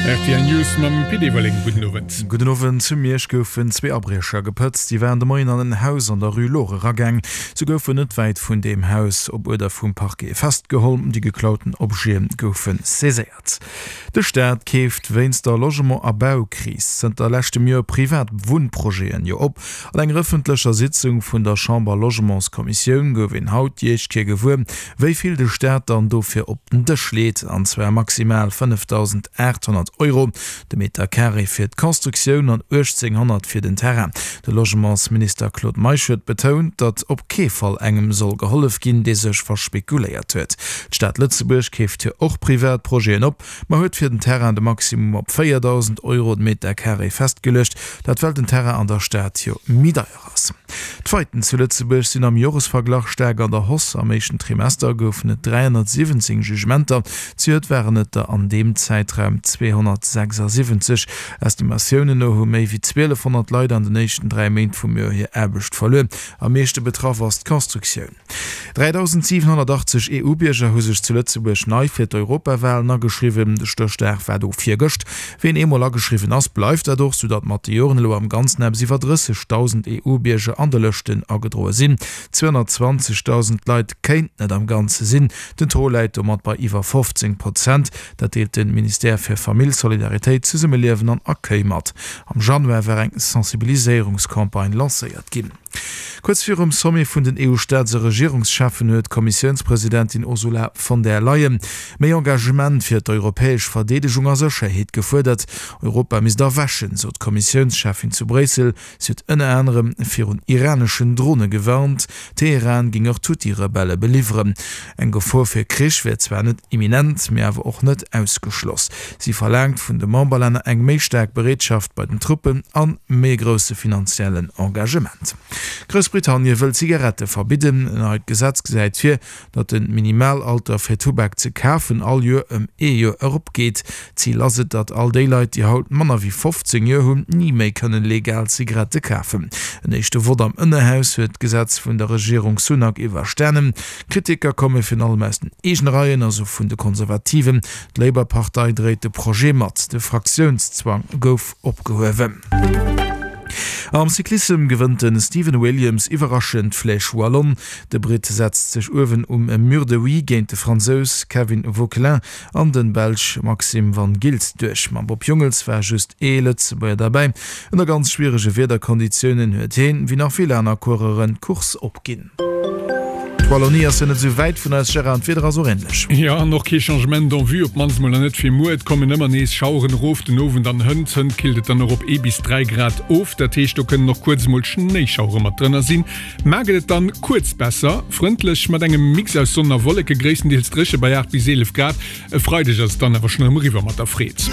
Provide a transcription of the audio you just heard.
Rtl News mam Pit Everling. Gudden Owend. Gudden Owend. Zu Miersch goufen zwee Abriecher gepëtzt. Si waren de Moien an en Haus an der Rue Lore eragaang. Se goufen net wäit vun deem Haus op Uerder vum Parquet festgeholl. Déi geklauten Objete goufe saiséiert. De Staat keeft wéinst der Logement a Baukris zënter leschtem Joer privat Wunnprojeten jo op. An enger ëffentlecher Sitzung vun der Chamber-Logementskommissioun gouf een haut déi éischt Kéier gewuer, wéi vill de Staat dann dofir op den Dësch leet, an zwar maximal 5.800 Euro de Meter Carré fir d'Constructioun an 1.800 fir den Terrain. De Logementsminister Claude Meisch huet betount, datt op kee Fall engem soll gehollef ginn, dee sech verspekuléiert huet. D'Stad Lëtzebuerg keeft jo och privat Projeten op, ma huet fir den Terrain de Maximum op 4.000 Euro de Meter Carré festgeluecht, dat well den Terrain an der Stad jo méi deier ass. D'Faiten zu Lëtzebuerg sinn am Joresverglach staark an der Hausse. Am éischten Trimester goufen et 317 Jugementer, zejoert waren et der an deem Zäitraum 276. Estimatiounen no hu méi wéi 1.200 Leit an den éischten 3 Méint vum Joer hir Aarbecht verluer. Am meeschte betraff ass d'Constructioun. 3.780 EU-Bierger hu sech zu Lëtzebuerg nei fir d'Europawalen ageschriwwen. De Stéchdag war do virgëscht. Ween eemol ageschriwwen ass, bleift dat och, soudatt mat de Joren elo am Ganzen eppes iwwer 30.000 EU-Bierger an de Lëschten agedroe sinn. 220.000 Leit kéinten et am Ganze sinn. Den Taux läit domat bei iwwer 15 Prozent. Dat deelt de Ministère fir Famill, Solidaritéit, Zesummeliewen an Accueil mat. Am Januar war eng Sensibiliséierungscampagne lancéiert ginn. Kuerz virum Sommet vun den EU-Staats a Regierungscheffen huet d'Kommissiounspresidentin Ursula von der Leyen méi Engagement fir d'europäesch Verdeedegung a Sécherheet gefuerdert. Europa misst erwächen, sot d'Kommissiounscheffin zu Bréissel. Si huet ënner anerem virun iraneschen Drone gewarnt. Teheran géing och d'Huthi-Rebelle beliwweren. Eng Gefor fir Krich wär zwar net imminent, mee awer och net ausgeschloss. Si verlaangt vun de Memberlänner eng méi staark Bereetschaft bei den Truppen an méi e grousse finanziellen Engagement. Groussbritannie wëll Zigarette verbidden. En neit Gesetz gesäit vir, datt de Minimalalter fir Tubak ze kafen all Joer ëm ee Joer eropgeet. Zil ass et, datt all déi Leit, déi haut manner wéi 15 Joer hunn, ni méi kënnen legal Zigarette kafen. En éischte Vott am Ënnerhaus huet d'Gesetz vun der Regierung Sunak iwwerstanen. Kritiker komme virun allem aus den eegene Reien, also vun de Konservativen. D'Labour-Partei dréit de Projet mat. De Fraktiounszwang gouf opgehuewen. Am Cyclissem gewënnt de Stephen Williams iwwerraschend d'Flèche Wallonne. De Britt setzt sech uewen um Mur de Huy géint de Fransous Kevin Vauquelin an de Belsch Maxim Van Gils duerch. Mam Bob Jungels war just ee Lëtzebuerger derbäi. Ënner ganz schwierege Wiederkonditiounen huet heen, wéi nach vill aner Coureuren, d'Course opginn. D'Wallonie ass jo net esou wäit vun eis, Gérard, an d'Wieder ass och änlech. Jo, an och kee Changement en vue, op d'mannst mol nach net fir muer. Et kommen ëmmer nees Schaueren erof den Owend an hënt. Hënt killt et dann och op ee bis 3 Grad of, dat heescht do kënnen och kuerz emol Schnéischauere mat drënner sinn. Mar gëtt et dann kuerz besser, frëndlech mat engem Mix aus Sonn a Wolleke, gréisstendeels dréche bei 8 bis 11 Grad. E Freideg ass et dann awer schonn erëm eriwwer mat der Freed.